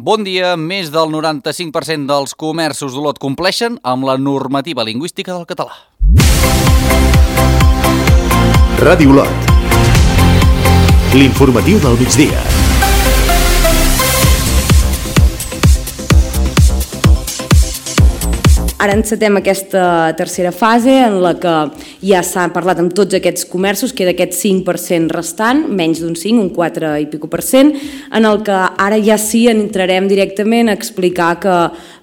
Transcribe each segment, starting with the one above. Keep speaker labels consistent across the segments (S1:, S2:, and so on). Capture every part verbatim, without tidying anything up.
S1: Bon dia, més del noranta-cinc per cent dels comerços d'Olot compleixen amb la normativa lingüística del català.
S2: Ràdio Olot. L'informatiu del migdia.
S3: Ara encetem aquesta tercera fase en la que ja s'ha parlat amb tots aquests comerços, queda aquest cinc per cent restant, menys d'un cinc, un quatre i pico per cent, en el que ara ja sí entrarem directament a explicar que,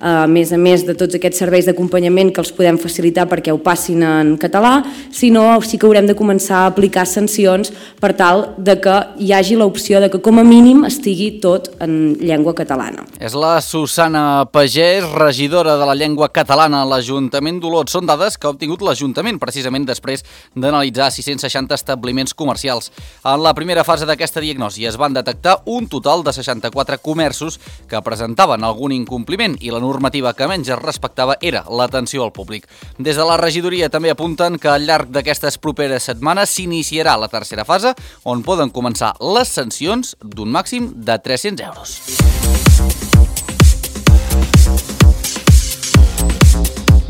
S3: a més a més de tots aquests serveis d'acompanyament que els podem facilitar perquè ho passin en català, sinó sí que haurem de començar a aplicar sancions per tal de que hi hagi l'opció de que com a mínim estigui tot en llengua catalana.
S1: És la Susana Pagès, regidora de la llengua catalana a l'Ajuntament d'Olot. Són dades que ha obtingut l'Ajuntament precisament després d'analitzar sis-cents seixanta establiments comercials. En la primera fase d'aquesta diagnosi es van detectar un total de seixanta-quatre comerços que presentaven algun incompliment i la normativa que menys es respectava era l'atenció al públic. Des de la regidoria també apunten que al llarg d'aquestes properes setmanes s'iniciarà la tercera fase on poden començar les sancions d'un màxim de tres-cents euros.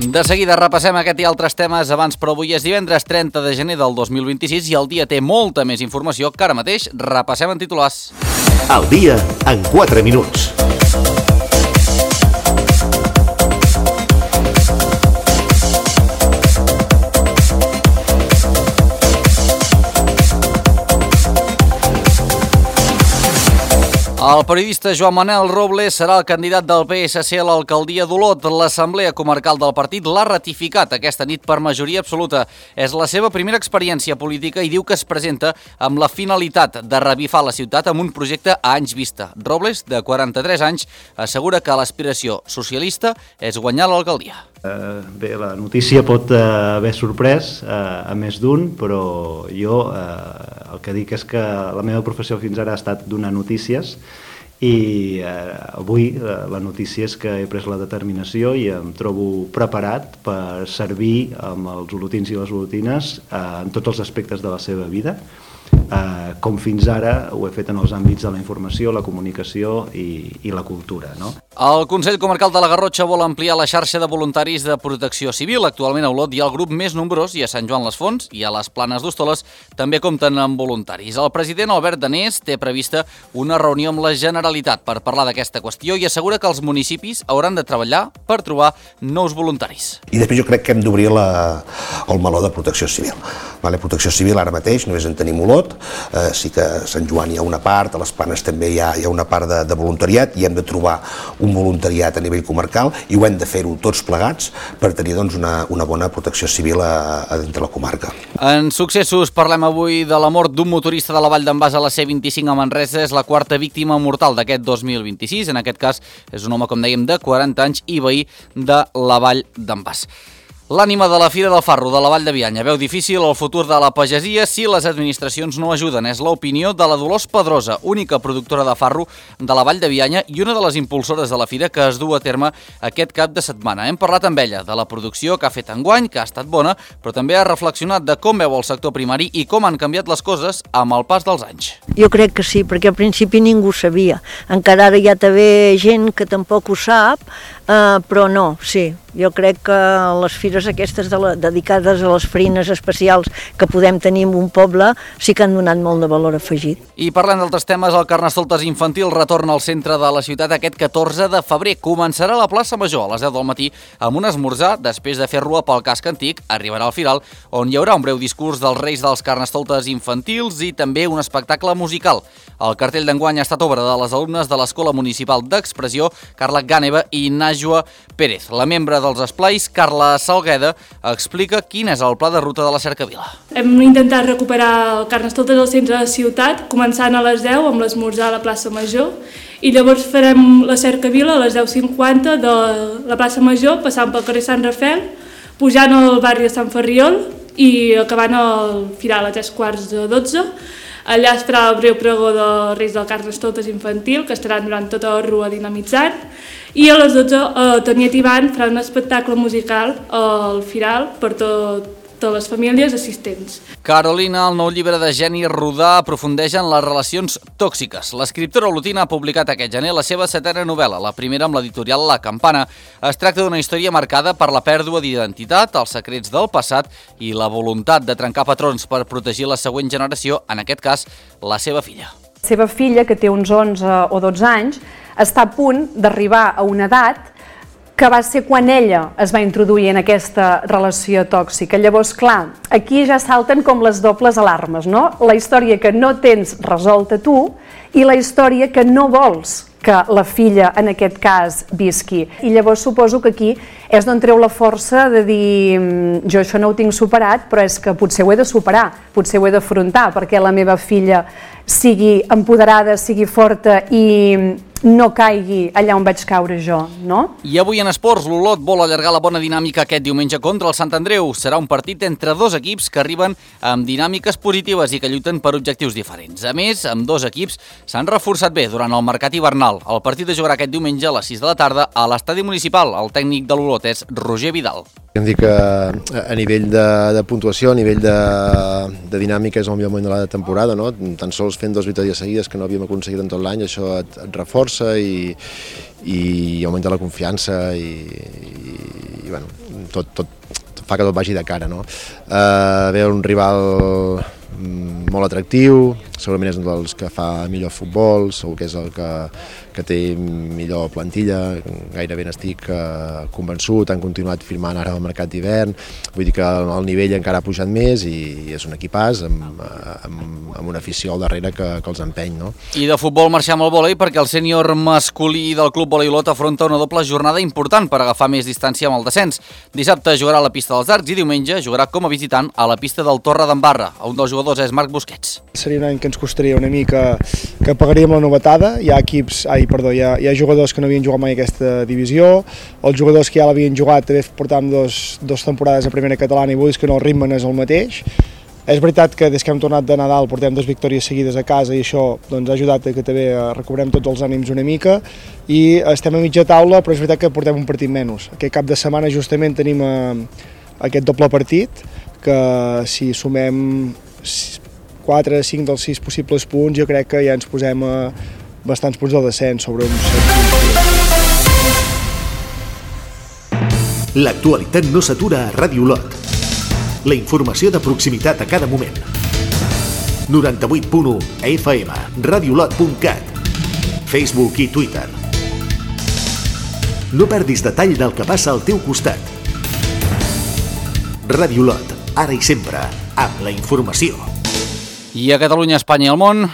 S1: De seguida repassem aquest i altres temes abans, però avui és divendres trenta de gener del dos mil vint-i-sis i el dia té molta més informació que ara mateix repassem en titulars.
S2: El dia en quatre minuts.
S1: El periodista Joan Manel Robles serà el candidat del P S C a l'alcaldia d'Olot. L'Assemblea Comarcal del partit l'ha ratificat aquesta nit per majoria absoluta. És la seva primera experiència política i diu que es presenta amb la finalitat de revifar la ciutat amb un projecte a anys vista. Robles, de quaranta-tres anys, assegura que l'aspiració socialista és guanyar l'alcaldia.
S4: Uh, bé, la notícia pot uh, haver sorprès uh, a més d'un, però jo uh, el que dic és que la meva professió fins ara ha estat donar notícies i uh, avui uh, la notícia és que he pres la determinació i em trobo preparat per servir amb els olotins i les olotines uh, en tots els aspectes de la seva vida. Uh, com fins ara ho he fet en els àmbits de la informació, la comunicació i, i la cultura, no?
S1: El Consell Comarcal de la Garrotxa vol ampliar la xarxa de voluntaris de protecció civil. Actualment a Olot hi ha el grup més nombrós i a Sant Joan les Fonts i a les Planes d'Hostoles també compten amb voluntaris. El president Albert Danés té prevista una reunió amb la Generalitat per parlar d'aquesta qüestió i assegura que els municipis hauran de treballar per trobar nous voluntaris.
S5: I després jo crec que hem d'obrir la, el meló de protecció civil. Vale, protecció civil ara mateix només en tenim Olot, eh, sí que a Sant Joan hi ha una part, a les Planes també hi ha, hi ha una part de, de voluntariat i hem de trobar un voluntariat a nivell comarcal i ho hem de fer-ho tots plegats per tenir doncs, una, una bona protecció civil a, a dintre la comarca.
S1: En successos parlem avui de la mort d'un motorista de la Vall d'en Bas a la C vint-i-cinc a Manresa. És la quarta víctima mortal d'aquest dos mil vint-i-sis. En aquest cas és un home, com dèiem, de quaranta anys i veí de la Vall d'en Bas. L'ànima de la Fira del Farro de la Vall de Bianya veu difícil el futur de la pagesia si les administracions no ajuden. És l'opinió de la Dolors Pedrosa, única productora de farro de la Vall de Bianya i una de les impulsores de la Fira que es du a terme aquest cap de setmana. Hem parlat amb ella de la producció que ha fet enguany, que ha estat bona, però també ha reflexionat de com veu el sector primari i com han canviat les coses amb el pas dels anys.
S6: Jo crec que sí, perquè al principi ningú ho sabia. Encara ara hi ha també gent que tampoc ho sap, eh, però no, sí. Jo crec que les fires aquestes de la, dedicades a les farines especials que podem tenir en un poble sí que han donat molt de valor afegit.
S1: I parlant d'altres temes, el Carnestoltes infantil retorna al centre de la ciutat aquest catorze de febrer. Començarà a la plaça Major a les deu del matí amb un esmorzar. Després de fer rua pel casc antic, arribarà al Firal, on hi haurà un breu discurs dels reis dels Carnestoltes infantils i també un espectacle musical. El cartell d'enguany ha estat obra de les alumnes de l'Escola Municipal d'Expressió, Carla Gàneva i Najwa Pérez. La membre dels esplais, Carla Salgueda, explica quin és el pla de ruta de la Cercavila.
S7: Hem intentat recuperar el Carnestoltes al centre de la ciutat, començant a les deu amb l'esmorzar a la plaça Major, i llavors farem la Cercavila a les deu cinquanta de la plaça Major, passant pel carrer Sant Rafel, pujant al barri de Sant Ferriol i acabant al Firal a tres quarts de dotze. Allà es farà el breu pregó dels Reis del Carnestoltes infantil, que estaran durant tota la rua dinamitzant, i a les dotze eh, Toniet i Ivan faran un espectacle musical al Firal per tot totes les famílies assistents.
S1: Carolina, el nou llibre de Jenny Rodà, aprofundeix en les relacions tòxiques. L'escriptora olotina ha publicat aquest gener la seva setena novel·la, la primera amb l'editorial La Campana. Es tracta d'una història marcada per la pèrdua d'identitat, els secrets del passat i la voluntat de trencar patrons per protegir la següent generació, en aquest cas, la seva filla.
S8: La seva filla, que té uns onze o dotze anys, està a punt d'arribar a una edat que va ser quan ella es va introduir en aquesta relació tòxica. Llavors, clar, aquí ja salten com les dobles alarmes, no? La història que no tens resolta tu i la història que no vols que la filla, en aquest cas, visqui. I llavors suposo que aquí és d'on treu la força de dir jo això no ho tinc superat, però és que potser ho he de superar, potser ho he d'afrontar, perquè la meva filla sigui empoderada, sigui forta i no caigui allà on vaig caure jo, no?
S1: I avui en esports, l'Olot vol allargar la bona dinàmica aquest diumenge contra el Sant Andreu. Serà un partit entre dos equips que arriben amb dinàmiques positives i que lluiten per objectius diferents. A més, amb dos equips s'han reforçat bé durant el mercat hivernal. El partit es jugarà aquest diumenge a les sis de la tarda a l'estadi municipal. El tècnic de l'Olot és Roger Vidal.
S9: Hem dit que a nivell de, de puntuació, a nivell de, de dinàmica és el millor moment de la temporada, no? Tan sols fent dues victòries seguides que no havíem aconseguit en tot l'any, això et, et reforça i, i augmenta la confiança i, i, i bueno, tot, tot fa que tot vagi de cara, no? Uh, ve un rival molt atractiu, segurament és un dels que fa millor futbol, segur que és el que, que té millor plantilla, gairebé n'estic eh, convençut, han continuat firmant ara al mercat d'hivern, vull dir que el nivell encara ha pujat més i és un equipàs amb, amb, amb una afició al darrere que, que els empeny, no?
S1: I de futbol marxem al vòlei perquè el sènior masculí del Club Vòlei Olot afronta una doble jornada important per agafar més distància amb el descens. Dissabte jugarà a la pista dels Arcs i diumenge jugarà com a visitant a la pista del Torre d'Embarra. Un dels jugadors és Marc Busquets.
S10: Seria un any que ens costaria una mica que pagaríem la novetada. Hi ha equips, ai, perdó, hi ha, hi ha jugadors que no havien jugat mai aquesta divisió, els jugadors que ja l'havien jugat també portàvem dos, dos temporades a primera catalana i vull dir que no, el ritme no és el mateix. És veritat que des que hem tornat de Nadal portem dues victòries seguides a casa i això doncs, ha ajudat a que també recobrem tots els ànims una mica i estem a mitja taula, però és veritat que portem un partit menys. Aquest cap de setmana justament tenim eh, aquest doble partit que si sumem quatre, cinc dels sis possibles punts jo crec que ja ens posem a bastants punts del descens sobre uns set punts.
S2: L'actualitat no s'atura a Ràdio Olot. La informació de proximitat a cada moment. noranta-vuit punt u F M, radiolot punt cat, Facebook i Twitter. No perdis detall del que passa al teu costat. Ràdio Olot, ara i sempre, amb la informació.
S1: I a Catalunya, Espanya i el món...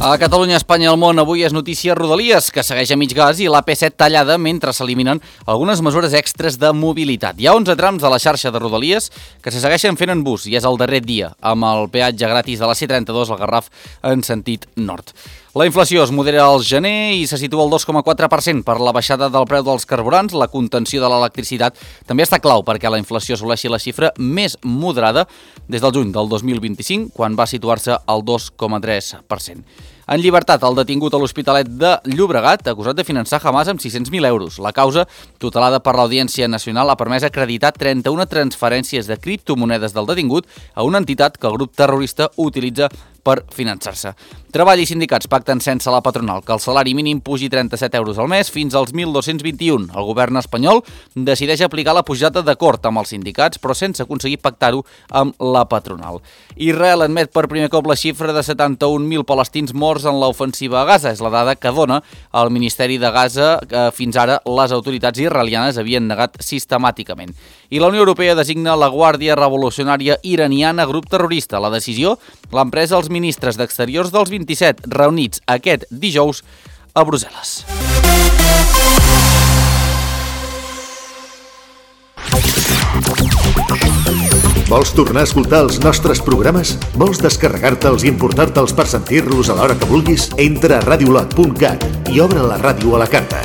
S1: A Catalunya, Espanya i el món, avui és notícia Rodalies, que segueix a mig gas, i l'A P set tallada mentre s'eliminen algunes mesures extres de mobilitat. Hi ha onze trams de la xarxa de Rodalies que se segueixen fent en bus, i és el darrer dia, amb el peatge gratis de la C trenta-dos al Garraf en sentit nord. La inflació es modera al gener i se situa al dos coma quatre per cent per la baixada del preu dels carburants. La contenció de l'electricitat també està clau perquè la inflació assoleixi la xifra més moderada des del juny del dos mil vint-i-cinc, quan va situar-se al dos coma tres per cent. En llibertat, el detingut a l'Hospitalet de Llobregat, acusat de finançar Hamas amb sis-cents mil euros. La causa, tutelada per l'Audiència Nacional, ha permès acreditar trenta-una transferències de criptomonedes del detingut a una entitat que el grup terrorista utilitza per finançar-se. Treball i sindicats pacten sense la patronal que el salari mínim pugi trenta-set euros al mes fins als mil dos-cents vint-i-un. El govern espanyol decideix aplicar la pujada d'acord amb els sindicats, però sense aconseguir pactar-ho amb la patronal. Israel admet per primer cop la xifra de setanta-un mil palestins morts en l'ofensiva a Gaza. És la dada que dona el Ministeri de Gaza, que fins ara les autoritats israelianes havien negat sistemàticament. I la Unió Europea designa la Guàrdia Revolucionària Iraniana grup terrorista. La decisió l'han pres els ministres d'Exteriors dels vint-i-set reunits aquest dijous a Brussel·les.
S2: Vols tornar a escoltar els nostres programes? Vols descarregar-te'ls i importar-te'ls per sentir-los a l'hora que vulguis? Entra a radiolot punt cat i obre la ràdio a la carta.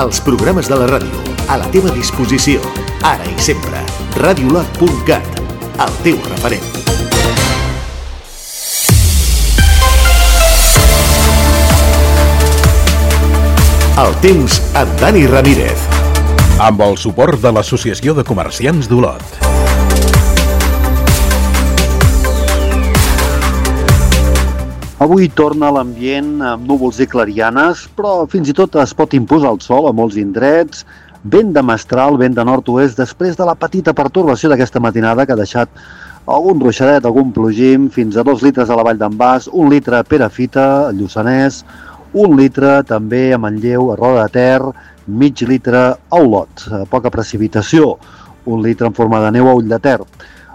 S2: Els programes de la ràdio, a la teva disposició, ara i sempre. radiolot punt cat, el teu referent. El temps amb Dani Ramírez.
S11: Amb el suport de l'Associació de Comerciants d'Olot.
S12: Avui torna l'ambient amb núvols i clarianes, però fins i tot es pot imposar el sol a molts indrets. Vent de mestral, vent de nord-oest, després de la petita pertorbació d'aquesta matinada que ha deixat algun ruixadet, algun plogim, fins a dos litres a la Vall d'en Bas, un litre a Perafita, a Lluçanès, un litre també a Manlleu, a Roda de Ter, mig litre a Olot. Poca precipitació, un litre en forma de neu a Ull de Ter.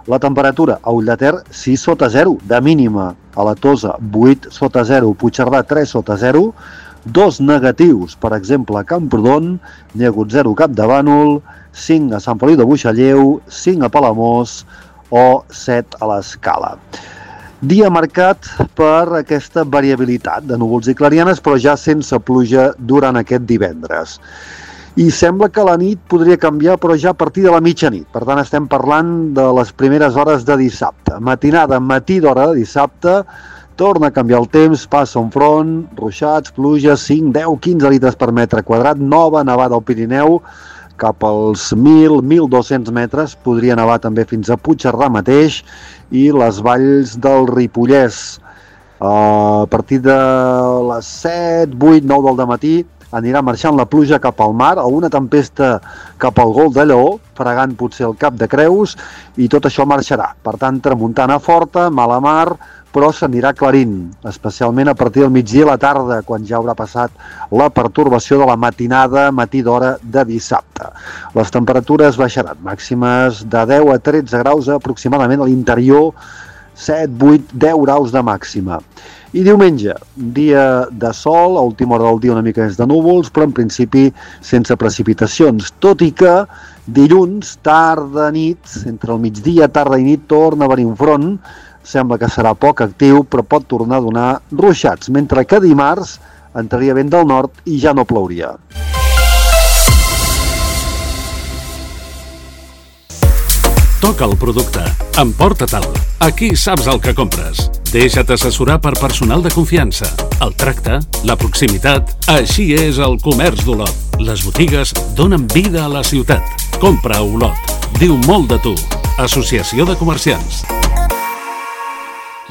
S12: La temperatura a Ull de Ter sis sota zero, de mínima. A la Tosa vuit sota zero, Puigcerdà tres sota zero, dos negatius, per exemple, a Camprodon, n'hi ha hagut zero a Capdavànol, cinc a Sant Feliu de Buixalleu, cinc a Palamós o set a l'Escala. Dia marcat per aquesta variabilitat de núvols i clarianes, però ja sense pluja durant aquest divendres. I sembla que la nit podria canviar, però ja a partir de la mitjanit. Per tant, estem parlant de les primeres hores de dissabte. Matinada, matí d'hora de dissabte, torna a canviar el temps, passa un front, ruixats, pluges, cinc, deu, quinze litres per metre quadrat, nova nevada al Pirineu, cap als mil, mil dos-cents metres, podria nevar també fins a Puigcerdà mateix, i les valls del Ripollès. A partir de les set, vuit, nou del dematí anirà marxant la pluja cap al mar, o una tempesta cap al Gol de Lleó, fregant potser el Cap de Creus, i tot això marxarà. Per tant, tramuntana forta, mala mar, però s'anirà clarint, especialment a partir del migdia a la tarda, quan ja haurà passat la pertorbació de la matinada, matí d'hora de dissabte. Les temperatures baixaran, màximes de deu a tretze graus aproximadament a l'interior, set, vuit, deu graus de màxima. I diumenge, dia de sol, a última hora del dia una mica més de núvols, però en principi sense precipitacions, tot i que dilluns, tarda, nit, entre el migdia, tarda i nit, torna a venir un front. Sembla que serà poc actiu, però pot tornar a donar ruixats, mentre que dimarts entraria vent del nord i ja no plouria.
S13: Toca el producte. Emporta-te'l. Aquí saps el que compres. Deixa't assessorar per personal de confiança. El tracte, la proximitat, així és el comerç d'Olot. Les botigues donen vida a la ciutat. Compra a Olot. Diu molt de tu. Associació de Comerciants.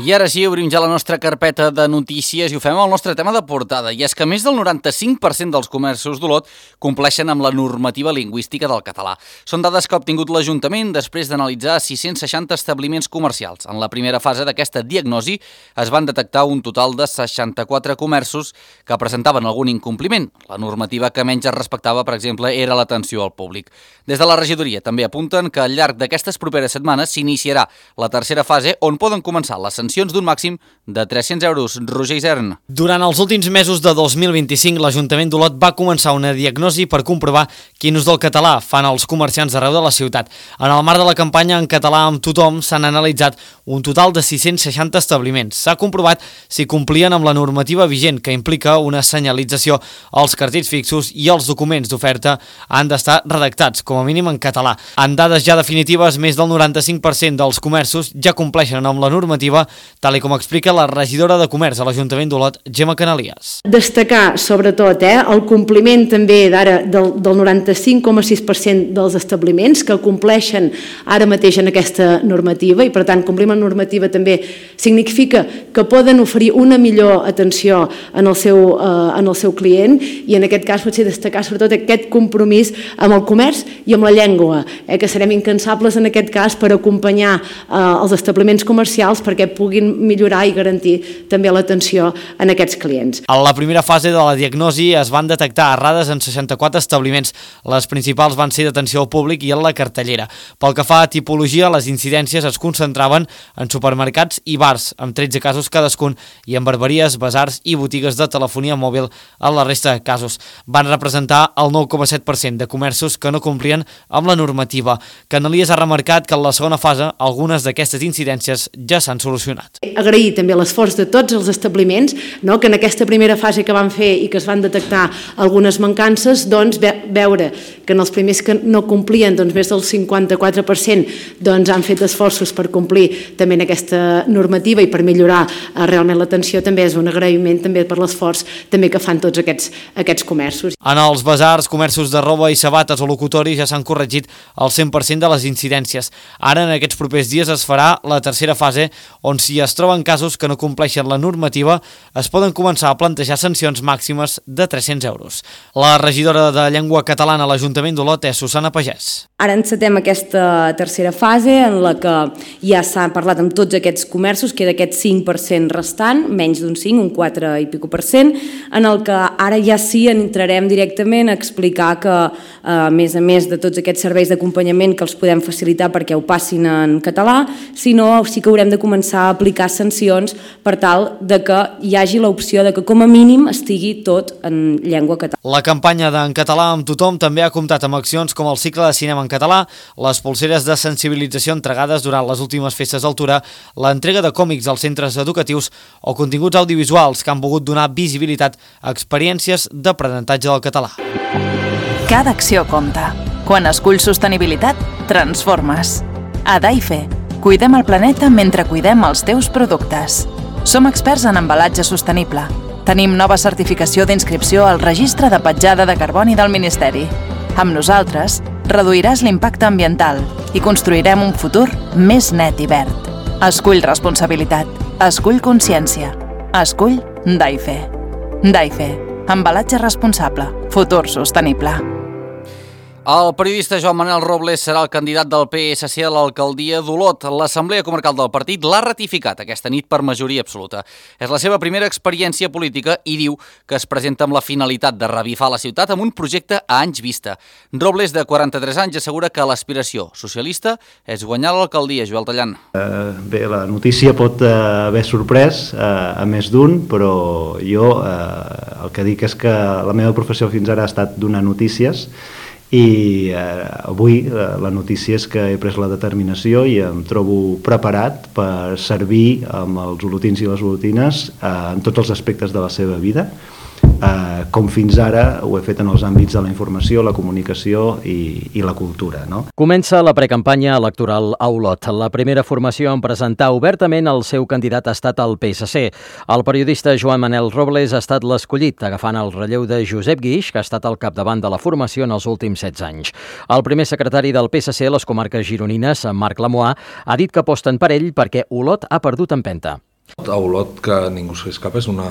S1: I ara sí, obrim ja la nostra carpeta de notícies i ho fem amb el nostre tema de portada. I és que més del noranta-cinc per cent dels comerços d'Olot compleixen amb la normativa lingüística del català. Són dades que ha obtingut l'Ajuntament després d'analitzar sis-cents seixanta establiments comercials. En la primera fase d'aquesta diagnosi es van detectar un total de seixanta-quatre comerços que presentaven algun incompliment. La normativa que menys es respectava, per exemple, era l'atenció al públic. Des de la regidoria també apunten que al llarg d'aquestes properes setmanes s'iniciarà la tercera fase on poden començar les sancions d'un màxim de tres-cents euros. Roger Isern.
S14: Durant els últims mesos de dos mil vint-i-cinc, l'Ajuntament d'Olot va començar una diagnosi per comprovar quin ús del català fan els comerciants d'arreu de la ciutat. En el marc de la campanya En català amb tothom s'han analitzat un total de sis-cents seixanta establiments. S'ha comprovat si complien amb la normativa vigent, que implica una senyalització als cartells fixos i els documents d'oferta han d'estar redactats, com a mínim en català. En dades ja definitives, més del noranta-cinc per cent dels comerços ja compleixen amb la normativa, tal com explica la regidora de Comerç a l'Ajuntament d'Olot, Gemma Canalies.
S3: Destacar, sobretot, eh, el compliment també d'ara del, del noranta-cinc coma sis per cent dels establiments que compleixen ara mateix en aquesta normativa, i per tant complir amb la normativa també significa que poden oferir una millor atenció en el seu, eh, en el seu client, i en aquest cas potser destacar sobretot aquest compromís amb el comerç i amb la llengua, eh, que serem incansables en aquest cas per acompanyar eh, els establiments comercials perquè puguin millorar i garantir també l'atenció en aquests clients.
S14: A la primera fase de la diagnosi es van detectar errades en seixanta-quatre establiments. Les principals van ser d'atenció al públic i en la cartellera. Pel que fa a tipologia, les incidències es concentraven en supermercats i bars, amb tretze casos cadascun, i en barberies, basars i botigues de telefonia mòbil en la resta de casos. Van representar el nou coma set per cent de comerços que no complien amb la normativa. Canalies ha remarcat que en la segona fase algunes d'aquestes incidències ja s'han solucionat.
S3: Agrair també l'esforç de tots els establiments, no? Que en aquesta primera fase que van fer i que es van detectar algunes mancances, doncs ve veure que en els primers que no complien, doncs més del cinquanta-quatre per cent doncs han fet esforços per complir també en aquesta normativa i per millorar eh, realment l'atenció, també és un agraïment també per l'esforç també que fan tots aquests, aquests comerços.
S14: En els basars, comerços de roba i sabates o locutoris ja s'han corregit el cent per cent de les incidències. Ara, en aquests propers dies, es farà la tercera fase, on si es troben casos que no compleixen la normativa, es poden començar a plantejar sancions màximes de tres-cents euros. La regidora de Llengua Catalana a l'Ajuntament d'Olot és Susana Pagès.
S3: Ara encetem aquesta tercera fase en la que ja s'ha parlat amb tots aquests comerços, queda aquest cinc per cent restant, menys d'un cinc, un quatre i pico per cent, en el que ara ja sí entrarem directament a explicar que, a més a més de tots aquests serveis d'acompanyament que els podem facilitar perquè ho passin en català, sinó sí que haurem de començar a aplicar sancions per tal de que hi hagi l'opció de que com a mínim estigui tot en llengua catalana.
S14: La campanya d'en català amb tothom també ha comptat amb accions com el cicle de cinema en català, les polseres de sensibilització entregades durant les últimes festes d'altura, l'entrega de còmics als centres educatius o continguts audiovisuals que han volgut donar visibilitat a experiències d'aprenentatge del català.
S15: Cada acció compta. Quan esculls sostenibilitat, transformes. A Daife, cuidem el planeta mentre cuidem els teus productes. Som experts en embalatge sostenible. Tenim nova certificació d'inscripció al Registre de Petjada de Carboni del Ministeri. Amb nosaltres, reduiràs l'impacte ambiental i construirem un futur més net i verd. Escull responsabilitat. Escull consciència. Escull Daife. Daife. Embalatge responsable. Futur sostenible.
S1: El periodista Joan Manel Robles serà el candidat del P S C a l'alcaldia d'Olot. L'Assemblea Comarcal del partit l'ha ratificat aquesta nit per majoria absoluta. És la seva primera experiència política i diu que es presenta amb la finalitat de revifar la ciutat amb un projecte a anys vista. Robles, de quaranta-tres anys, assegura que l'aspiració socialista és guanyar l'alcaldia. Joel Tallant.
S4: Eh, bé, la notícia pot eh, haver sorprès eh, a més d'un, però jo eh, el que dic és que la meva professió fins ara ha estat donar notícies i eh, avui eh, la notícia és que he pres la determinació i em trobo preparat per servir amb els olotins i les olotines eh, en tots els aspectes de la seva vida, eh, com fins ara ho he fet en els àmbits de la informació, la comunicació i, i la cultura. No?
S16: Comença la precampanya electoral a Olot. La primera formació en presentar obertament el seu candidat ha estat el P S C. El periodista Joan Manel Robles ha estat l'escollit, agafant el relleu de Josep Guix, que ha estat al capdavant de la formació en els últims setze anys. El primer secretari del P S C a les comarques gironines, Marc Lamoà, ha dit que aposten per ell perquè Olot ha perdut empenta.
S17: A Olot, que ningú s'escapa, és una,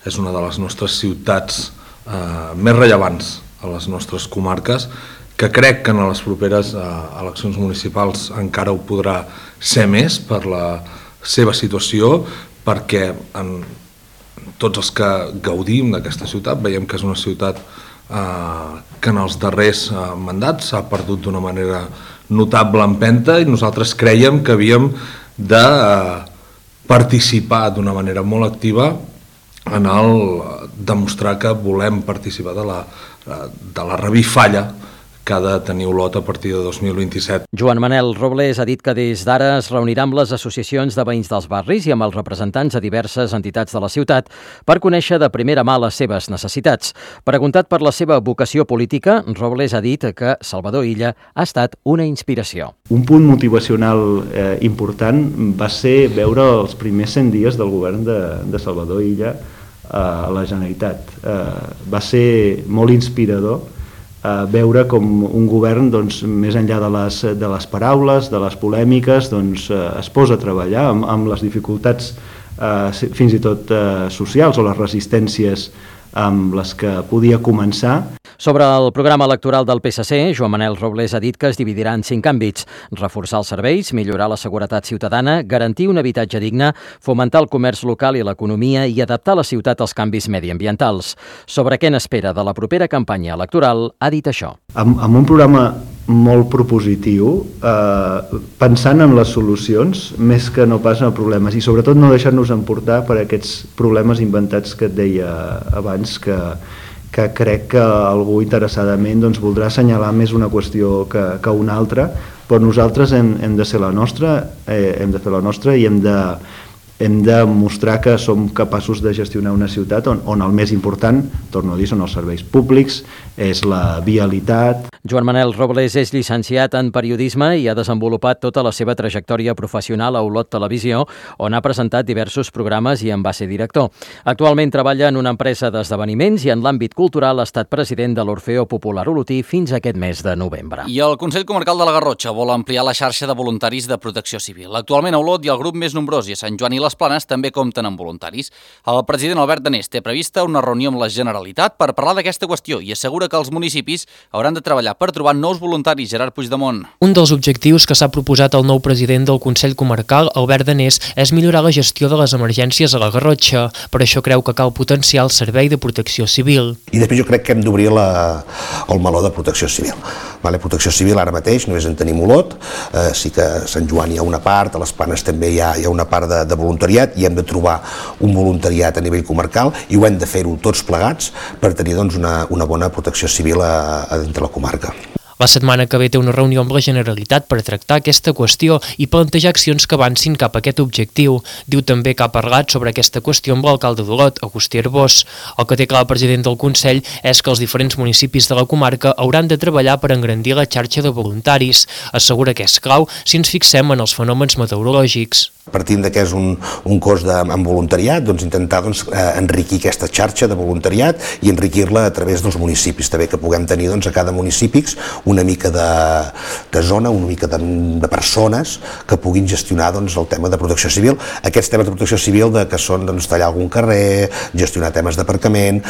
S17: és una de les nostres ciutats eh, més rellevants a les nostres comarques, que crec que en les properes eh, eleccions municipals encara ho podrà ser més per la seva situació, perquè en tots els que gaudim d'aquesta ciutat veiem que és una ciutat eh, que en els darrers eh, mandats s'ha perdut d'una manera notable empenta i nosaltres crèiem que havíem de eh, participar d'una manera molt activa en el demostrar que volem participar de la, de la revifalla que ha de tenir Olot a partir de dos mil vint-i-set.
S16: Joan Manel Robles ha dit que des d'ara es reunirà amb les associacions de veïns dels barris i amb els representants de diverses entitats de la ciutat per conèixer de primera mà les seves necessitats. Preguntat per la seva vocació política, Robles ha dit que Salvador Illa ha estat una inspiració.
S4: Un punt motivacional eh, important va ser veure els primers cent dies del govern de, de Salvador Illa eh, a la Generalitat. Eh, va ser molt inspirador veure com un govern, doncs, més enllà de les, de les paraules, de les polèmiques, doncs, es posa a treballar amb, amb les dificultats eh, fins i tot eh, socials o les resistències amb les que podia començar.
S16: Sobre el programa electoral del P S C, Joan Manel Robles ha dit que es dividirà en cinc àmbits: reforçar els serveis, millorar la seguretat ciutadana, garantir un habitatge digne, fomentar el comerç local i l'economia i adaptar la ciutat als canvis mediambientals. Sobre què n'espera de la propera campanya electoral, ha dit això.
S4: Amb, amb un programa molt propositiu, eh, pensant en les solucions més que no pas en problemes, i sobretot no deixar-nos emportar per aquests problemes inventats que et deia abans, que que crec que algú interessadament doncs, voldrà assenyalar més una qüestió que, que una altra, però nosaltres hem, hem de ser la nostra, eh, hem de fer la nostra i hem de, hem de mostrar que som capaços de gestionar una ciutat on, on el més important, torno a dir, són els serveis públics, és la vialitat.
S16: Joan Manel Robles és llicenciat en periodisme i ha desenvolupat tota la seva trajectòria professional a Olot Televisió, on ha presentat diversos programes i en va ser director. Actualment treballa en una empresa d'esdeveniments i en l'àmbit cultural ha estat president de l'Orfeo Popular Olotí fins a aquest mes de novembre.
S1: I el Consell Comarcal de la Garrotxa vol ampliar la xarxa de voluntaris de protecció civil. Actualment a Olot hi ha el grup més nombrós i a Sant Joan i les Planes també compten amb voluntaris. El president Albert Danés té prevista una reunió amb la Generalitat per parlar d'aquesta qüestió i assegura que els municipis hauran de treballar per trobar nous voluntaris. Gerard Puigdemont.
S18: Un dels objectius que s'ha proposat el nou president del Consell Comarcal, Albert Danés, és millorar la gestió de les emergències a la Garrotxa. Per això creu que cal potenciar el servei de protecció civil.
S5: I després jo crec que hem d'obrir el meló de protecció civil. Vale, protecció civil ara mateix només en tenim Olot, eh, sí que a Sant Joan hi ha una part, a les Planes també hi ha, hi ha una part de, de voluntariat i hem de trobar un voluntariat a nivell comarcal i ho hem de fer-ho tots plegats per tenir doncs, una, una bona protecció civil a, a dintre la comarca.
S18: La setmana que ve té una reunió amb la Generalitat per tractar aquesta qüestió i plantejar accions que avancin cap a aquest objectiu. Diu també que ha parlat sobre aquesta qüestió amb l'alcalde d'Olot, Agustí Arbós. El que té clar el president del Consell és que els diferents municipis de la comarca hauran de treballar per engrandir la xarxa de voluntaris. Assegura que és clau si ens fixem en els fenòmens meteorològics.
S5: Partint de que és un, un cos de, amb voluntariat, doncs intentar doncs, eh, enriquir aquesta xarxa de voluntariat i enriquir-la a través dels municipis. També que puguem tenir doncs, a cada municipi una mica de, de zona, una mica de, de persones que puguin gestionar doncs, el tema de protecció civil. Aquests temes de protecció civil de, que són doncs, tallar algun carrer, gestionar temes d'aparcament,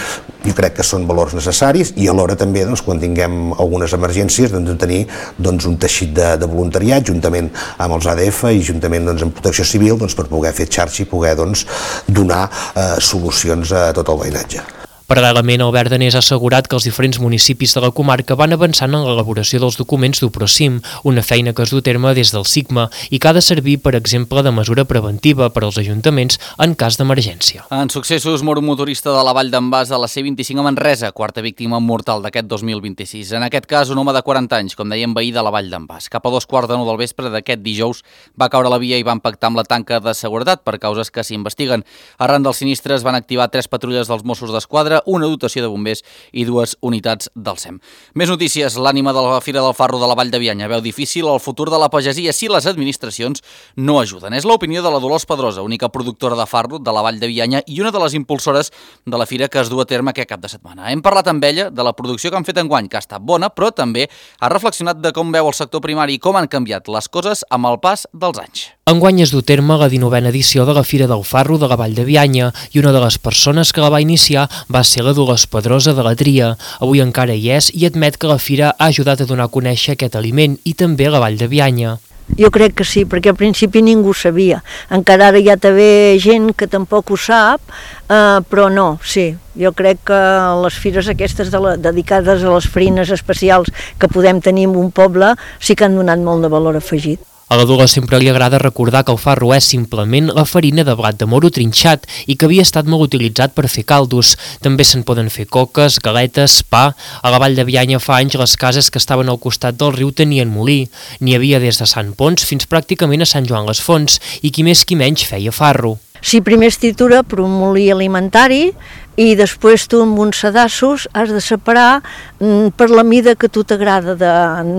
S5: jo crec que són valors necessaris i alhora també doncs, quan tinguem algunes emergències doncs, de tenir doncs, un teixit de, de voluntariat juntament amb els A D F i juntament doncs, amb protecció civil doncs, per poder fer xarxa i poder doncs, donar eh, solucions a tot el veïnatge.
S18: Paral·lelament, Albert Danés ha assegurat que els diferents municipis de la comarca van avançant en l'elaboració dels documents d'UPROCIM, una feina que es du a terme des del SIGMA i que ha de servir, per exemple, de mesura preventiva per als ajuntaments en cas d'emergència.
S1: En successos, mor un motorista de la Vall d'en Bas a la C vint-i-cinc a Manresa, quarta víctima mortal d'aquest dos mil vint-i-sis. En aquest cas, un home de quaranta anys, com dèiem, veí de la Vall d'en Bas. Cap a dos quarts de nou del vespre d'aquest dijous va caure a la via i va impactar amb la tanca de seguretat per causes que s'investiguen. Arran del sinistre es van activar tres patrulles dels Mossos d'Esquadra, una dotació de bombers i dues unitats del SEM. Més notícies. L'ànima de la Fira del Farro de la Vall de Bianya veu difícil el futur de la pagesia si les administracions no ajuden. És l'opinió de la Dolors Pedrosa, única productora de farro de la Vall de Bianya i una de les impulsores de la fira que es du a terme aquest cap de setmana. Hem parlat amb ella de la producció que han fet enguany, que ha estat bona, però també ha reflexionat de com veu el sector primari i com han canviat les coses amb el pas dels anys.
S18: Enguany es du a terme la dinovena edició de la Fira del Farro de la Vall de Bianya i una de les persones que la va iniciar va ser la Dolors Pedrosa de la Tria. Avui encara hi és i admet que la fira ha ajudat a donar a conèixer aquest aliment i també la Vall de Bianya.
S6: Jo crec que sí, perquè al principi ningú sabia. Encara ara hi ha també gent que tampoc ho sap, eh, però no, sí. Jo crec que les fires aquestes de la, dedicades a les farines especials que podem tenir en un poble sí que han donat molt de valor afegit.
S18: A la Dolors sempre li agrada recordar que el farro és simplement la farina de blat de moro trinxat i que havia estat molt utilitzat per fer caldos. També se'n poden fer coques, galetes, pa. A la Vall de Bianya fa anys les cases que estaven al costat del riu tenien molí. N'hi havia des de Sant Pons fins pràcticament a Sant Joan les Fonts i qui més qui menys feia farro.
S6: Sí, primer es tritura per un molí alimentari i després tu amb uns sedassos has de separar mm, per la mida que a tu t'agrada, de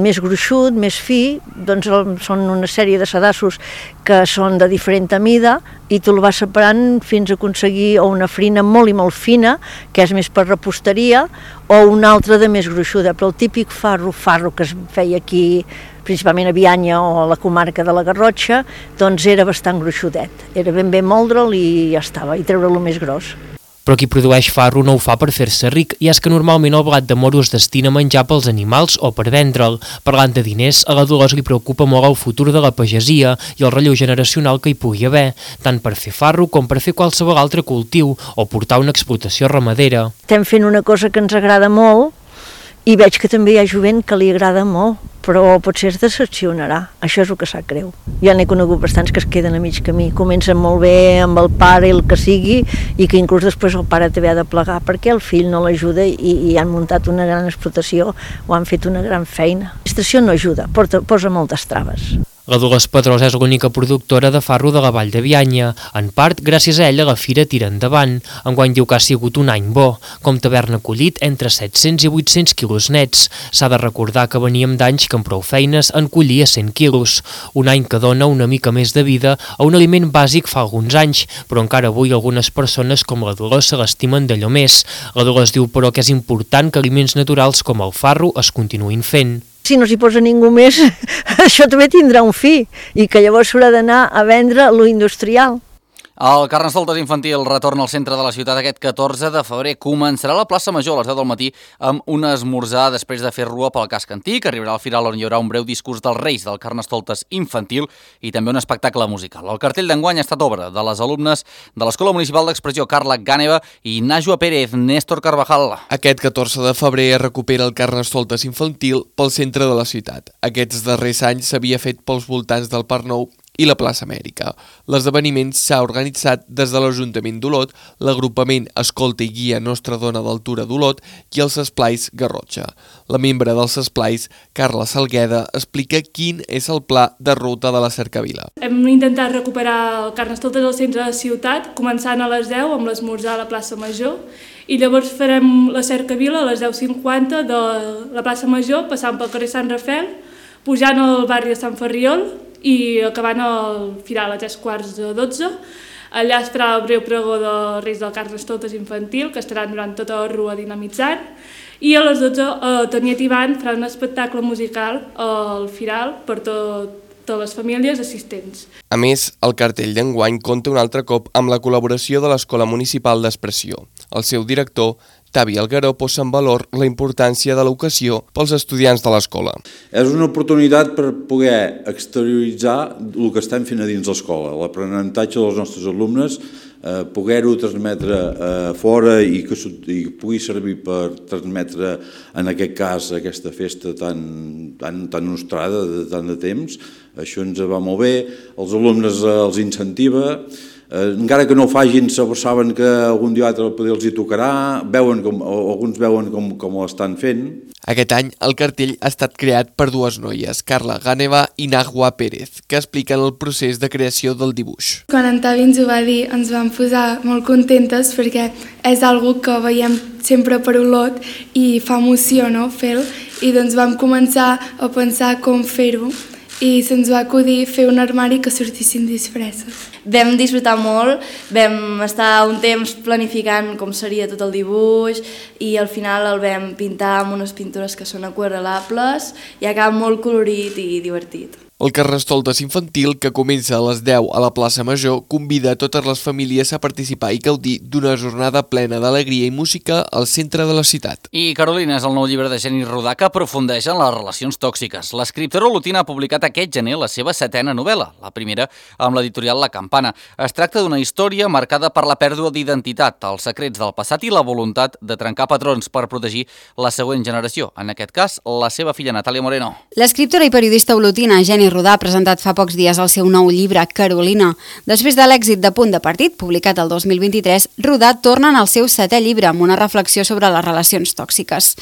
S6: més gruixut, més fi, doncs són una sèrie de sedassos que són de diferent mida i tu el vas separant fins a aconseguir o una farina molt i molt fina, que és més per reposteria, o una altra de més gruixuda, però el típic farro, farro que es feia aquí, principalment a Bianya o a la comarca de la Garrotxa, doncs era bastant gruixudet. Era ben bé moldre'l i ja estava, i treure-lo més gros.
S18: Però qui produeix farro no ho fa per fer-se ric, i és que normalment el blat de moro es destina a menjar pels animals o per vendre'l. Parlant de diners, a la Dolors li preocupa molt el futur de la pagesia i el relleu generacional que hi pugui haver, tant per fer farro com per fer qualsevol altre cultiu o portar una explotació ramadera.
S6: Estem fent una cosa que ens agrada molt i veig que també hi ha jovent que li agrada molt, però potser es decepcionarà. Això és el que sap greu. Ja n'he conegut bastants que es queden a mig camí. Comencen molt bé amb el pare i el que sigui, i que inclús després el pare també ha de plegar perquè el fill no l'ajuda i, i han muntat una gran explotació o han fet una gran feina. L'administració no ajuda, porta, posa moltes traves.
S18: La Dolors Pedrosa és l'única productora de farro de la Vall de Bianya. En part, gràcies a ella, la fira tira endavant. Enguany diu que ha sigut un any bo, com d'haver-ne collit entre set-cents i vuit-cents quilos nets. S'ha de recordar que veníem d'anys que amb prou feines en collia cent quilos. Un any que dona una mica més de vida a un aliment bàsic fa alguns anys, però encara avui algunes persones com la Dolors se l'estimen d'allò més. La Dolors diu, però, que és important que aliments naturals com el farro es continuïn fent.
S6: Si no s'hi posa ningú més, això també tindrà un fi, i que llavors s'haurà d'anar a vendre lo industrial.
S1: El Carnestoltes infantil retorna al centre de la ciutat aquest catorze de febrer. Començarà a la plaça Major a les deu del matí amb un esmorzar després de fer rua pel casc antic. Arribarà al final on hi haurà un breu discurs dels Reis del Carnestoltes infantil i també un espectacle musical. El cartell d'enguany ha estat obra de les alumnes de l'Escola Municipal d'Expressió Carla Gàneva i Najwa Pérez, Néstor Carvajal.
S19: Aquest catorze de febrer es recupera el Carnestoltes infantil pel centre de la ciutat. Aquests darrers anys s'havia fet pels voltants del Parc Nou i la plaça Amèrica. L'esdeveniment s'ha organitzat des de l'Ajuntament d'Olot, l'agrupament Escolta i Guia Nostra Dona d'Altura d'Olot i els esplais Garrotxa. La membre dels esplais, Carla Salgueda, explica quin és el pla de ruta de la cercavila.
S7: Hem intentat recuperar el Carnestoltes al centre de la ciutat, començant a les deu amb l'esmorzar a la plaça Major, i llavors farem la cercavila a les deu cinquanta de la plaça Major, passant pel carrer Sant Rafel, pujant al barri de Sant Ferriol i acabant el firal a tres quarts de dotze. Allà es farà el breu pregó dels Reis del Carnestoltes infantil, que estaran durant tota la rua dinamitzant, i a les dotze eh, Toniet Ivan farà un espectacle musical al firal per tot totes les famílies assistents.
S19: A més, el cartell d'enguany compta un altre cop amb la col·laboració de l'Escola Municipal d'Expressió. El seu director, Tavi Algueró, posa en valor la importància de l'ocasió pels estudiants de l'escola.
S20: És una oportunitat per poder exterioritzar el que estem fent a dins l'escola, l'aprenentatge dels nostres alumnes, eh, poder-ho transmetre eh, fora i que i pugui servir per transmetre, en aquest cas, aquesta festa tan, tan, tan nostrada de tant de temps. Això ens va molt bé, els alumnes eh, els incentiva, Eh, encara que no ho facin, saben que algun dia o altre poder els hi tocarà, veuen com, o alguns veuen com, com ho estan fent.
S19: Aquest any el cartell ha estat creat per dues noies, Carla Gàneva i Najwa Pérez, que expliquen el procés de creació del dibuix.
S21: Quan en Tavi ens ho va dir ens vam posar molt contentes perquè és algo que veiem sempre per Olot i fa emoció, no?, fer-ho, i doncs vam començar a pensar com fer-ho i se'ns va acudir fer un armari que sortissin disfresses.
S22: Vam disfrutar molt, vam estar un temps planificant com seria tot el dibuix i al final el vam pintar amb unes pintures que són aquarel·lables i acaba molt colorit i divertit.
S19: El Carnestoltes infantil, que comença a les deu a la plaça Major, convida a totes les famílies a participar i gaudir d'una jornada plena d'alegria i música al centre de la ciutat.
S1: I Carolina és el nou llibre de Jenny Rodà que aprofundeix en les relacions tòxiques. L'escriptora olotina ha publicat aquest gener la seva setena novel·la, la primera amb l'editorial La Campana. Es tracta d'una història marcada per la pèrdua d'identitat, els secrets del passat i la voluntat de trencar patrons per protegir la següent generació, en aquest cas la seva filla Natàlia Moreno.
S23: L'escriptora i periodista olotina Jenny Rodà ha presentat fa pocs dies el seu nou llibre, Carolina. Després de l'èxit de Punt de Partit, publicat el dos mil vint-i-tres, Rodà torna en el seu setè llibre amb una reflexió sobre les relacions tòxiques.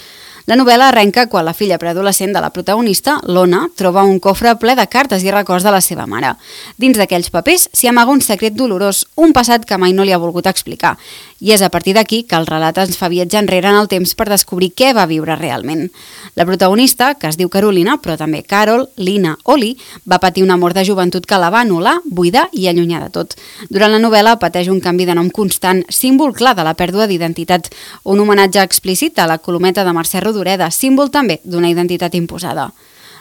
S23: La novel·la arrenca quan la filla preadolescent de la protagonista, l'Ona, troba un cofre ple de cartes i records de la seva mare. Dins d'aquells papers s'hi amaga un secret dolorós, un passat que mai no li ha volgut explicar. I és a partir d'aquí que el relat ens fa viatjar enrere en el temps per descobrir què va viure realment. La protagonista, que es diu Carolina, però també Carol, Lina o Li, va patir un amor de joventut que la va anul·lar, buidar i allunyar de tot. Durant la novel·la pateix un canvi de nom constant, símbol clar de la pèrdua d'identitat, un homenatge explícit a la colometa de Mercè Rodoreda, símbol també d'una identitat imposada.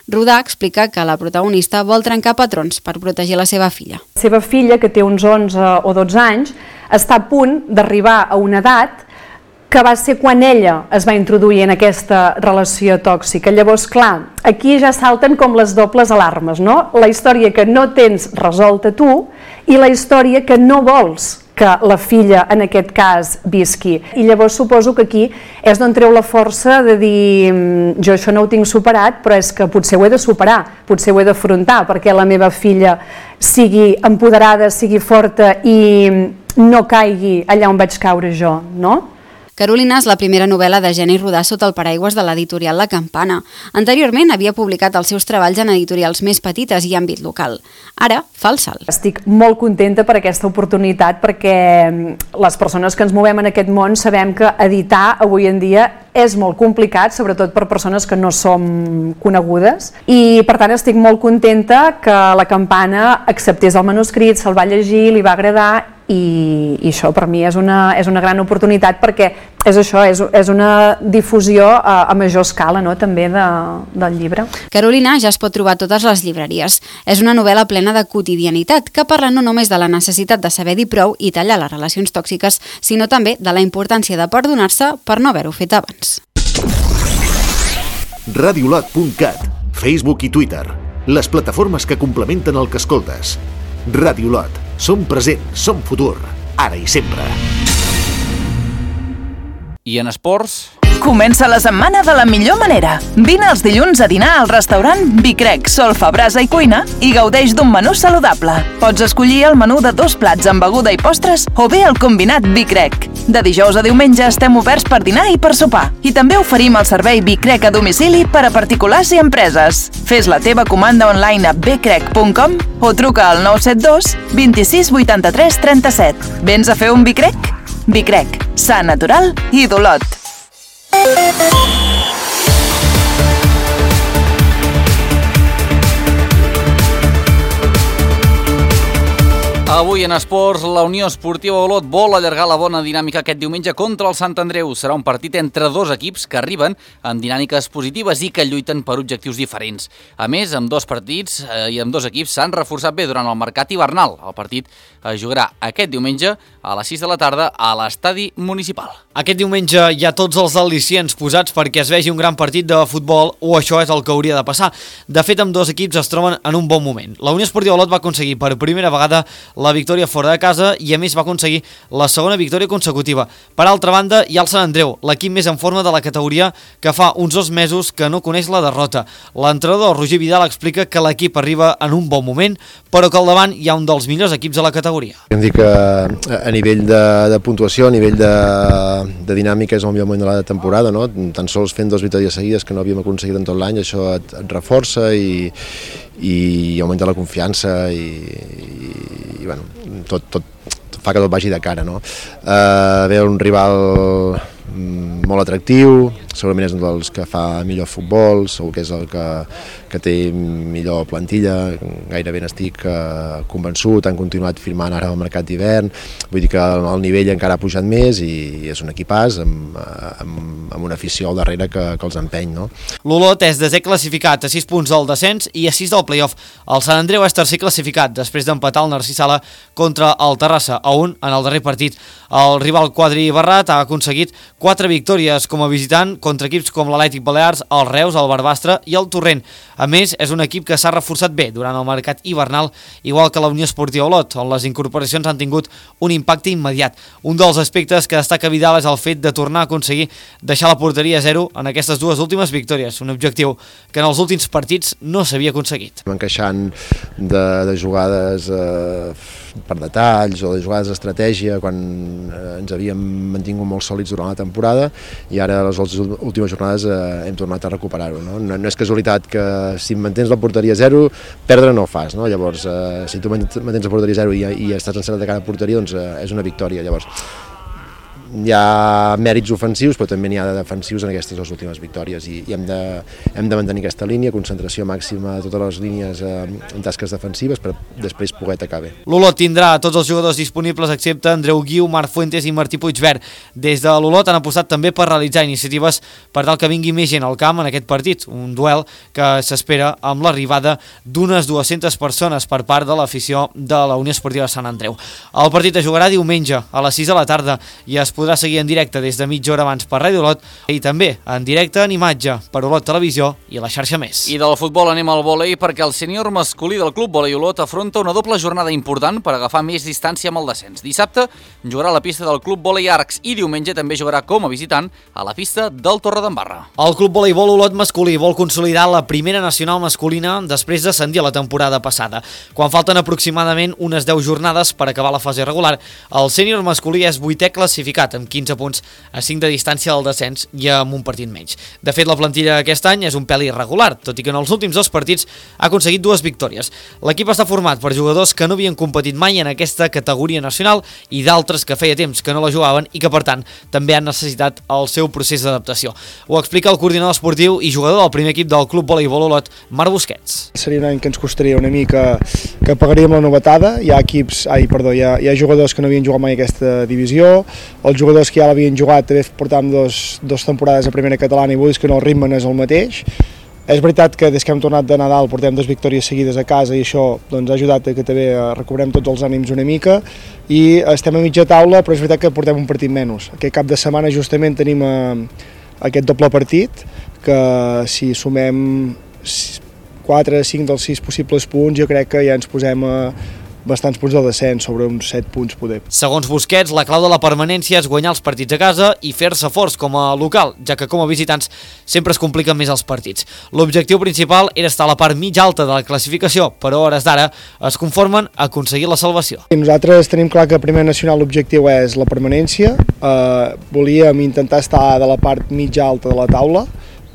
S23: Rodà explica que la protagonista vol trencar patrons per protegir la seva filla.
S8: La seva filla, que té uns onze o dotze anys, està a punt d'arribar a una edat que va ser quan ella es va introduir en aquesta relació tòxica. Llavors, clar, aquí ja salten com les dobles alarmes, no? La història que no tens resolta tu i la història que no vols que la filla, en aquest cas, visqui. I llavors suposo que aquí és d'on treu la força de dir jo això no ho tinc superat, però és que potser ho he de superar, potser ho he d'afrontar, perquè la meva filla sigui empoderada, sigui forta i no caigui allà on vaig caure jo, no?
S23: Carolina és la primera novel·la de Geni Rodà sota el paraigües de l'editorial La Campana. Anteriorment havia publicat els seus treballs en editorials més petites i àmbit local. Ara fa el salt.
S8: Estic molt contenta per aquesta oportunitat perquè les persones que ens movem en aquest món sabem que editar avui en dia és molt complicat, sobretot per persones que no som conegudes, i per tant estic molt contenta que La Campana acceptés el manuscrit, se'l va llegir, li va agradar i, i això per mi és una, és una gran oportunitat perquè és això, és, és una difusió a, a major escala, no?, també de, del llibre.
S23: Carolina ja es pot trobar a totes les llibreries. És una novel·la plena de quotidianitat que parla no només de la necessitat de saber dir prou i tallar les relacions tòxiques, sinó també de la importància de perdonar-se per no haver-ho fet abans.
S2: radiolot punt cat, Facebook i Twitter, les plataformes que complementen el que escoltes. Radiolot, som present, som futur, ara i sempre.
S1: I en esports...
S15: Comença la setmana de la millor manera. Vine els dilluns a dinar al restaurant Vicrec, Solfa, Brasa i Cuina i gaudeix d'un menú saludable. Pots escollir el menú de dos plats amb beguda i postres o bé el combinat Vicrec. De dijous a diumenge estem oberts per dinar i per sopar. I també oferim el servei Vicrec a domicili per a particulars i empreses. Fes la teva comanda online a vicrec punt com o truca al nou set dos, vint-i-sis, vuitanta-tres, trenta-set. Vens a fer un Vicrec? Vicrec, sa, natural i d'Olot.
S1: Avui en esports, la Unió Esportiva Olot vol allargar la bona dinàmica aquest diumenge contra el Sant Andreu. Serà un partit entre dos equips que arriben amb dinàmiques positives i que lluiten per objectius diferents. A més, amb dos partits eh, i amb dos equips s'han reforçat bé durant el mercat hivernal. El partit es jugarà aquest diumenge a les sis de la tarda a l'estadi municipal.
S14: Aquest diumenge hi ha tots els al·licients posats perquè es vegi un gran partit de futbol, o això és el que hauria de passar. De fet, amb dos equips es troben en un bon moment. La Unió Esportiva Olot va aconseguir per primera vegada la victòria fora de casa i a més va aconseguir la segona victòria consecutiva. Per altra banda, hi ha el Sant Andreu, l'equip més en forma de la categoria que fa uns dos mesos que no coneix la derrota. L'entrenador Roger Vidal explica que l'equip arriba en un bon moment, però que al davant hi ha un dels millors equips de la categoria.
S9: Hem dit que a nivell de, de puntuació, a nivell de, de dinàmica és el millor moment de la temporada, no? Tan sols fent dues victòries seguides que no havíem aconseguit en tot l'any, això et, et reforça i, i augmenta la confiança i, i, i bueno, tot, tot fa que tot vagi de cara, no? Uh, ve un rival molt atractiu, segurament és un dels que fa millor futbol, segur que és el que, que té millor plantilla, gairebé n'estic eh, convençut, han continuat firmant ara el mercat d'hivern, vull dir que el, el nivell encara ha pujat més i és un equipàs amb, amb, amb una afició al darrere que, que els empeny, no?
S14: L'Olot és desè classificat a sis punts del descens i a sis del play-off. El Sant Andreu és tercer classificat després d'empatar el Narcís Sala contra el Terrassa a un en el darrer partit. El rival quadri Barrat ha aconseguit quatre victòries com a visitant contra equips com l'Atlètic Balears, el Reus, el Barbastre i el Torrent. A més, és un equip que s'ha reforçat bé durant el mercat hivernal, igual que la Unió Esportiva Olot, on les incorporacions han tingut un impacte immediat. Un dels aspectes que destaca Vidal és el fet de tornar a aconseguir deixar la porteria a zero en aquestes dues últimes victòries, un objectiu que en els últims partits no s'havia aconseguit.
S9: Encaixant de, de jugades eh, per detalls o de jugades d'estratègia quan eh, ens havíem mantingut molt sòlids durant la temporada i ara a les últimes jornades eh, hem tornat a recuperar-ho. No? No, no és casualitat que si mantens la porteria a zero, perdre no ho fas. No? Llavors, eh, si tu mantens la porteria a zero i, i estàs encertat de cara a porteria, doncs eh, és una victòria. Llavors, hi ha mèrits ofensius, però també n'hi ha de defensius en aquestes dues últimes victòries i, i hem, de, hem de mantenir aquesta línia, concentració màxima a totes les línies eh, en tasques defensives per després poder atacar bé.
S14: L'Olot tindrà tots els jugadors disponibles excepte Andreu Guiu, Marc Fuentes i Martí Puigvert. Des de l'Olot han apostat també per realitzar iniciatives per tal que vingui més gent al camp en aquest partit, un duel que s'espera amb l'arribada d'unes dues-centes persones per part de l'afició de la Unió Esportiva Sant Andreu. El partit es jugarà diumenge a les sis de la tarda i es podrà seguir en directe des de mitja hora abans per Ràdio Olot i també en directe en imatge per Olot Televisió i la xarxa Més.
S1: I del futbol anem al vòlei perquè el sènior masculí del Club Vòlei Olot afronta una doble jornada important per agafar més distància amb el descens. Dissabte jugarà a la pista del Club Vòlei Arcs i diumenge també jugarà com a visitant a la pista del Torredembarra.
S14: El Club Voleibol Olot masculí vol consolidar la primera nacional masculina després d'ascendir a la temporada passada. Quan falten aproximadament unes deu jornades per acabar la fase regular, el sènior masculí és vuitè classificat amb quinze punts a cinc de distància del descens i amb un partit menys. De fet, la plantilla aquest any és un pèl irregular, tot i que en els últims dos partits ha aconseguit dues victòries. L'equip està format per jugadors que no havien competit mai en aquesta categoria nacional i d'altres que feia temps que no la jugaven i que, per tant, també han necessitat el seu procés d'adaptació. Ho explica el coordinador esportiu i jugador del primer equip del Club Voleibol Olot, Marc Busquets.
S10: Seria un any que ens costaria una mica que pagaríem la novetada. Hi ha equips, ai, perdó, hi ha, hi ha jugadors que no havien jugat mai aquesta divisió, els jugadors que ja l'havien jugat també portàvem dos, dos temporades a primera catalana i vull dir que no, el ritme no és el mateix. És veritat que des que hem tornat de Nadal portem dues victòries seguides a casa i això doncs, ha ajudat a que també recobrem tots els ànims una mica i estem a mitja taula, però és veritat que portem un partit menys. Aquest cap de setmana justament tenim eh, aquest doble partit que si sumem quatre, cinc dels sis possibles punts jo crec que ja ens posem a bastants punts del descens, sobre uns set punts poder.
S14: Segons Busquets, la clau de la permanència és guanyar els partits a casa i fer-se forts com a local, ja que com a visitants sempre es compliquen més els partits. L'objectiu principal era estar a la part mitja alta de la classificació, però a hores d'ara es conformen a aconseguir la salvació.
S10: Nosaltres tenim clar que a primer nacional l'objectiu és la permanència, eh, volíem intentar estar de la part mitja alta de la taula,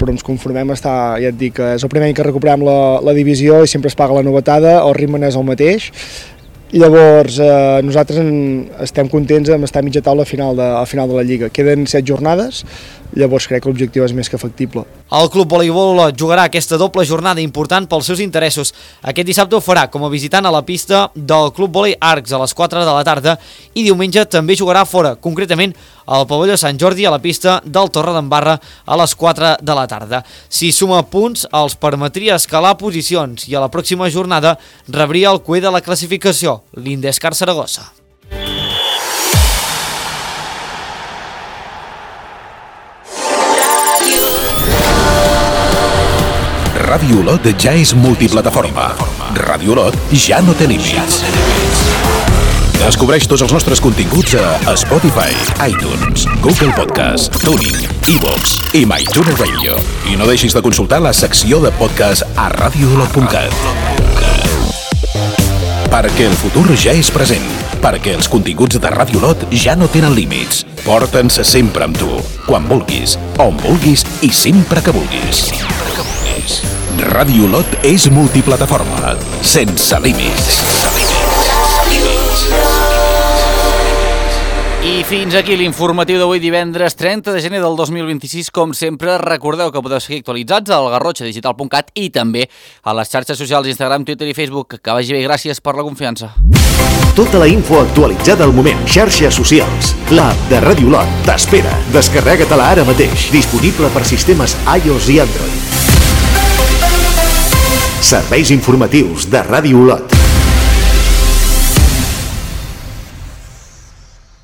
S10: però ens conformem a estar, ja et dic, és el primer any que recuperem la, la divisió i sempre es paga la novetada, el ritme no és el mateix. Llavors, eh, nosaltres en, estem contents amb estar a mitja taula a final, de, a final de la Lliga. Queden set jornades, llavors crec que l'objectiu és més que factible.
S14: El Club Voleibol Olot jugarà aquesta doble jornada important pels seus interessos. Aquest dissabte ho farà com a visitant a la pista del Club Volei Arcs a les quatre de la tarda i diumenge també jugarà fora, concretament al pavelló Sant Jordi a la pista del Torredembarra a les quatre de la tarda. Si suma punts, els permetria escalar posicions i a la pròxima jornada rebria el cué de la classificació, l'Indescar Saragossa.
S11: Ràdio Olot ja és multiplataforma. Ràdio Olot ja no té límits. Descobreix tots els nostres continguts a Spotify, iTunes, Google Podcast, Tuning, iVoox i MyTuner Radio. I no deixis de consultar la secció de podcast a radio olot punt cat. Perquè el futur ja és present. Perquè els continguts de Ràdio Olot ja no tenen límits. Porta'ns sempre amb tu, quan vulguis, on vulguis i sempre que vulguis. Ràdio Olot és multiplataforma, sense límits.
S1: I fins aquí l'informatiu d'avui divendres trenta de gener del dos mil vint-i-sis. Com sempre, recordeu que podeu seguir actualitzats al garrotxa digital punt cat i també a les xarxes socials Instagram, Twitter i Facebook. Que vagi bé, gràcies per la confiança.
S2: Tota la info actualitzada al moment. Xarxes socials. L'app de Ràdio Olot t'espera. Descarrega-te-la ara mateix. Disponible per sistemes iOS i Android. Serveis informatius de Ràdio Olot.